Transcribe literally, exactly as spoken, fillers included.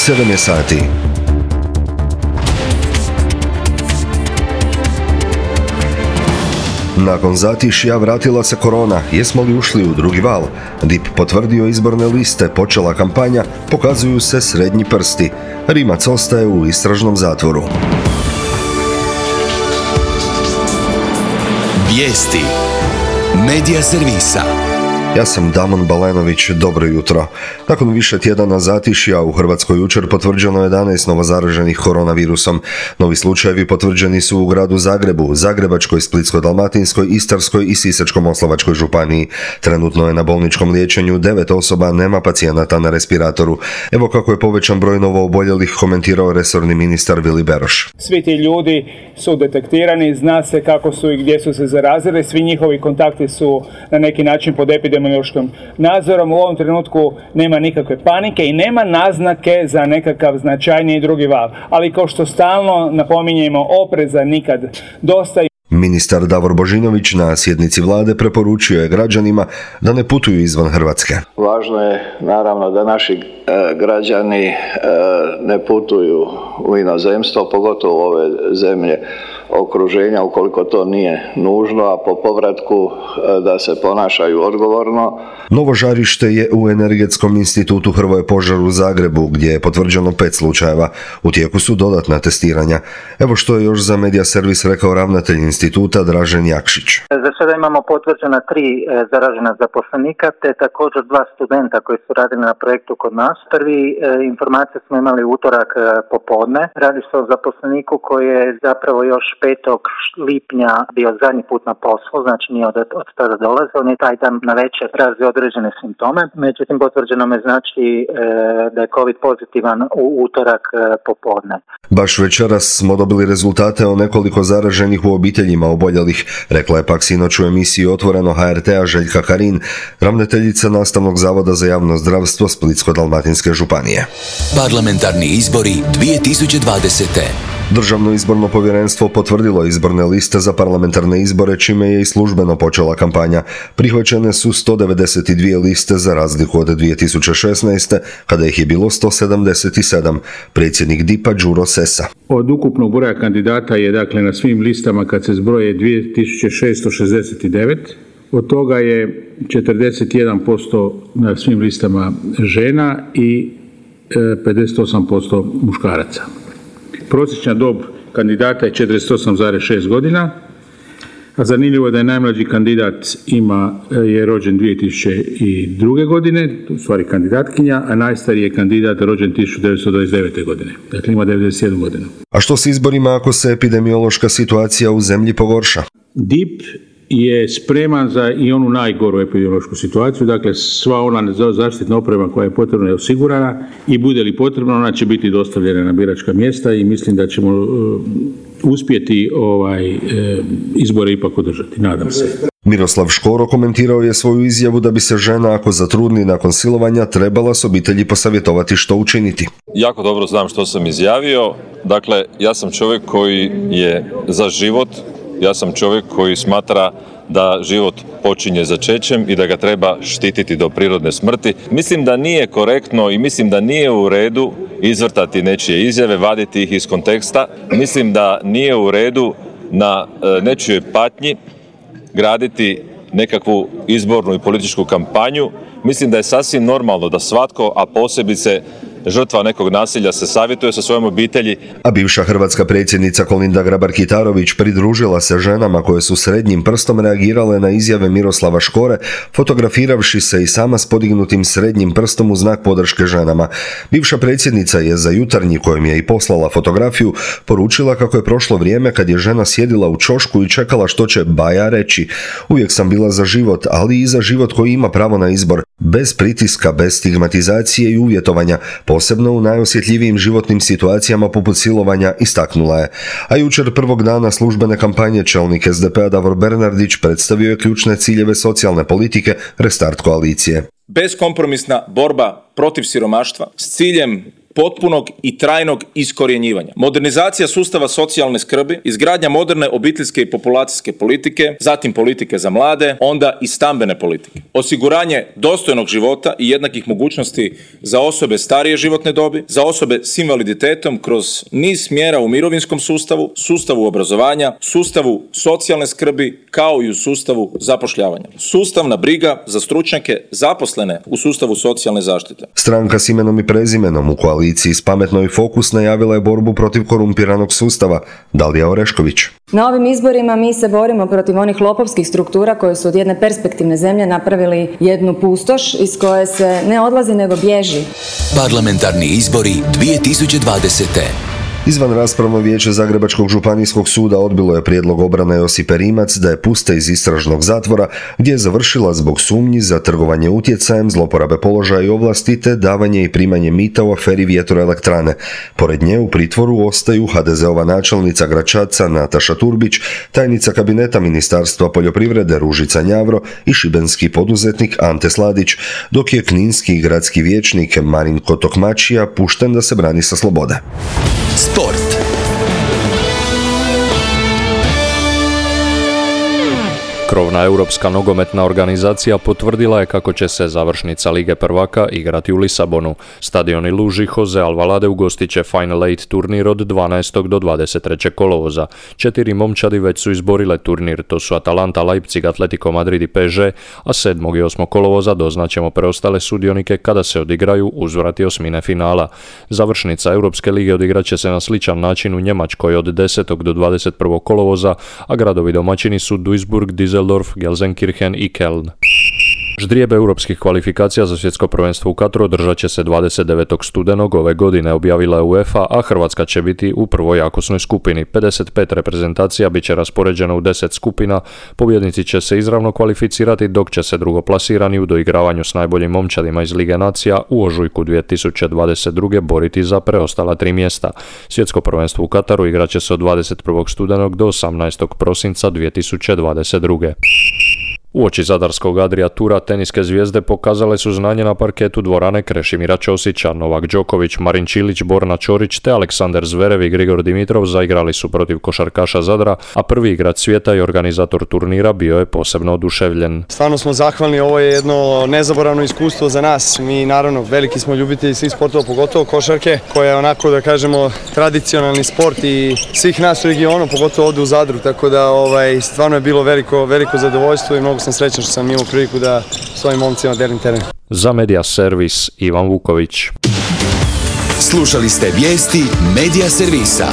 sedam je sati. Nakon zatišja vratila se korona. Jesmo li ušli u drugi val? D I P potvrdio izborne liste, počela kampanja, pokazuju se srednji prsti. Rimac ostaje u istražnom zatvoru. Vijesti Medija servisa. Ja sam Damon Balenović, dobro jutro. Nakon više tjedana zatišja u Hrvatskoj jučer potvrđeno jedanaest novozaraženih koronavirusom. Novi slučajevi potvrđeni su u gradu Zagrebu, Zagrebačkoj, Splitsko-dalmatinskoj, Istarskoj i Sisačko-moslavačkoj županiji. Trenutno je na bolničkom liječenju devet osoba, nema pacijenata na respiratoru. Evo kako je povećan broj novooboljelih komentirao resorni ministar Vili Beroš. Svi ti ljudi su detektirani, zna se kako su i gdje su se zarazili, svi njihovi kontakti su na neki način pod epidemiološkim nadzorom. U ovom trenutku nema nikakve panike i nema naznake za nekakav značajniji drugi val. Ali kao što stalno napominjemo, opreza nikad dosta. Ministar Davor Božinović na sjednici vlade preporučio je građanima da ne putuju izvan Hrvatske. Važno je naravno da naši e, građani e, ne putuju u inozemstvo, pogotovo u ove zemlje okruženja ukoliko to nije nužno, a po povratku e, da se ponašaju odgovorno. Novo žarište je u Energetskom institutu Hrvoje Požar u Zagrebu, gdje je potvrđeno pet slučajeva. U tijeku su dodatna testiranja. Evo što je još za Medija servis rekao ravnatelj instituta Dražen Jakšić. Za sada imamo potvrđena tri e, zaražena zaposlenika, te također dva studenta koji su radili na projektu kod nas. Prvi e, informacije smo imali utorak e, popodne. Radi se o zaposleniku koji je zapravo još petog lipnja bio zadnji put na poslu, znači nije od, od tada dolazio, on je taj dan na večer razvio određene simptome. Međutim, potvrđeno me znači e, da je COVID pozitivan u utorak e, popodne. Baš večeras smo dobili rezultate o nekoliko zaraženih u obiteljima oboljelih, rekla je pak sinoć u emisiji Otvoreno H R T-a Željka Karin, ravnateljica Nastavnog zavoda za javno zdravstvo Splitsko-dalmatinske županije. Parlamentarni izbori dvije tisuće dvadesete. Državno izborno povjerenstvo potvrdilo izborne liste za parlamentarne izbore, čime je i službeno počela kampanja. Prihvaćene su sto devedeset dvije liste za razliku od dvije tisuće šesnaeste. kada ih je bilo sto sedamdeset sedam. Predsjednik D I P-a Đuro Sessa. Od ukupnog broja kandidata je dakle na svim listama kad se zbroje dvije tisuće šesto šezdeset devet. Od toga je četrdeset jedan posto na svim listama žena i pedeset osam posto muškaraca. Prosječna dob kandidata je četrdeset osam zarez šest godina, a zanimljivo je da je najmlađi kandidat ima, je rođen dvije tisuće druge. godine, u stvari kandidatkinja, a najstariji je kandidat rođen tisuću devetsto dvadeset devete. godine, dakle ima devedeset jednu godinu. A što s izborima ako se epidemiološka situacija u zemlji pogorša? D I P je spreman za i onu najgoru epidemiološku situaciju, dakle sva ona zaštitna oprema koja je potrebna je osigurana i bude li potrebno ona će biti dostavljena na biračka mjesta i mislim da ćemo uh, uspjeti ovaj uh, izbore ipak održati, nadam se. Miroslav Škoro komentirao je svoju izjavu da bi se žena ako zatrudni nakon silovanja trebala s obitelji posavjetovati što učiniti. Jako dobro znam što sam izjavio, dakle ja sam čovjek koji je za život. Ja sam čovjek koji smatra da život počinje začećem i da ga treba štititi do prirodne smrti. Mislim da nije korektno i mislim da nije u redu izvrtati nečije izjave, vaditi ih iz konteksta. Mislim da nije u redu na nečijoj patnji graditi nekakvu izbornu i političku kampanju. Mislim da je sasvim normalno da svatko, a posebice žrtva nekog nasilja, se savjetuje sa svojom obitelji. A bivša hrvatska predsjednica Kolinda Grabar-Kitarović pridružila se ženama koje su srednjim prstom reagirale na izjave Miroslava Škore, fotografiravši se i sama s podignutim srednjim prstom u znak podrške ženama. Bivša predsjednica je za Jutarnji, kojem je i poslala fotografiju, poručila kako je prošlo vrijeme kad je žena sjedila u ćošku i čekala što će Baja reći. Uvijek sam bila za život, ali i za život koji ima pravo na izbor, bez pritiska, bez stigmatizacije i uvjetovanja, posebno u najosjetljivijim životnim situacijama poput silovanja, istaknula je. A jučer prvog dana službene kampanje čelnik S D P-a Davor Bernardić predstavio je ključne ciljeve socijalne politike Restart koalicije. Beskompromisna borba protiv siromaštva s ciljem potpunog i trajnog iskorjenjivanja. Modernizacija sustava socijalne skrbi, izgradnja moderne obiteljske i populacijske politike, zatim politike za mlade, onda i stambene politike. Osiguranje dostojnog života i jednakih mogućnosti za osobe starije životne dobi, za osobe s invaliditetom kroz niz mjera u mirovinskom sustavu, sustavu obrazovanja, sustavu socijalne skrbi kao i u sustavu zapošljavanja. Sustavna briga za stručnjake zaposlene u sustavu socijalne zaštite. Stranka s imenom i prezimenom u koaliciji s Pametno i Fokus najavila je borbu protiv korumpiranog sustava. Dalija Orešković. Na ovim izborima mi se borimo protiv onih lopovskih struktura koje su od jedne perspektivne zemlje napravili jednu pustoš iz koje se ne odlazi nego bježi. Parlamentarni izbori dvije tisuće dvadesete. Izvan raspravno vijeće Zagrebačkog županijskog suda odbilo je prijedlog obrane Josipe Rimac da je puste iz istražnog zatvora gdje je završila zbog sumnji za trgovanje utjecajem, zloporabe položaja i ovlasti te davanje i primanje mita u aferi vjetroelektrane. Pored nje u pritvoru ostaju ha de zeova načelnica Gračaca Nataša Turbić, tajnica kabineta Ministarstva poljoprivrede Ružica Njavro i šibenski poduzetnik Ante Sladić, dok je kninski gradski vijećnik Marinko Tokmačija pušten da se brani sa slobode. Sport. Krovna europska nogometna organizacija potvrdila je kako će se završnica Lige prvaka igrati u Lisabonu. Stadion Iluži Jose Alvalade ugostit će Final Eight turnir od dvanaestog do dvadeset trećeg kolovoza. Četiri momčadi već su izborile turnir, to su Atalanta, Leipzig, Atletico Madrid i pe es ge, a sedmog i osmog kolovoza doznaćemo preostale sudionike kada se odigraju uzvrati osmine finala. Završnica Europske lige odigrat će se na sličan način u Njemačkoj od desetog do dvadeset prvog kolovoza, a gradovi domaćini su Duisburg, Düsseldorf, Gelsenkirchen i Köln. Ždrijebe europskih kvalifikacija za svjetsko prvenstvo u Kataru održat će se dvadeset devetog studenog ove godine, objavila je UEFA, a Hrvatska će biti u prvoj jakosnoj skupini. pedeset pet reprezentacija bit će raspoređeno u deset skupina, pobjednici će se izravno kvalificirati, dok će se drugoplasirani u doigravanju s najboljim momčadima iz Lige nacija u ožujku dvije tisuće dvadeset druge boriti za preostala tri mjesta. Svjetsko prvenstvo u Kataru igrat će se od dvadeset prvog studenog do osamnaestog prosinca dvije tisuće dvadeset druge. Uoči zadarskog Adria Tura teniske zvijezde pokazale su znanje na parketu dvorane Krešimira Ćosića. Novak Đoković, Marin Čilić, Borna Ćorić te Aleksandar Zverev i Grigor Dimitrov zaigrali su protiv košarkaša Zadra, a prvi igrač svijeta i organizator turnira bio je posebno oduševljen. Stvarno smo zahvalni, ovo je jedno nezaboravno iskustvo za nas. Mi naravno veliki smo ljubitelji svih sportova, pogotovo košarke, koja je onako da kažemo tradicionalni sport i svih nas u regionu, pogotovo ovdje u Zadru, tako da ovaj, stvarno je bilo veliko, veliko zadovoljstvo i mnogo sam srećan što sam imao priliku da s ovim momcima delim teren. Za Media Servis Ivan Vuković. Slušali ste vijesti Media Servisa.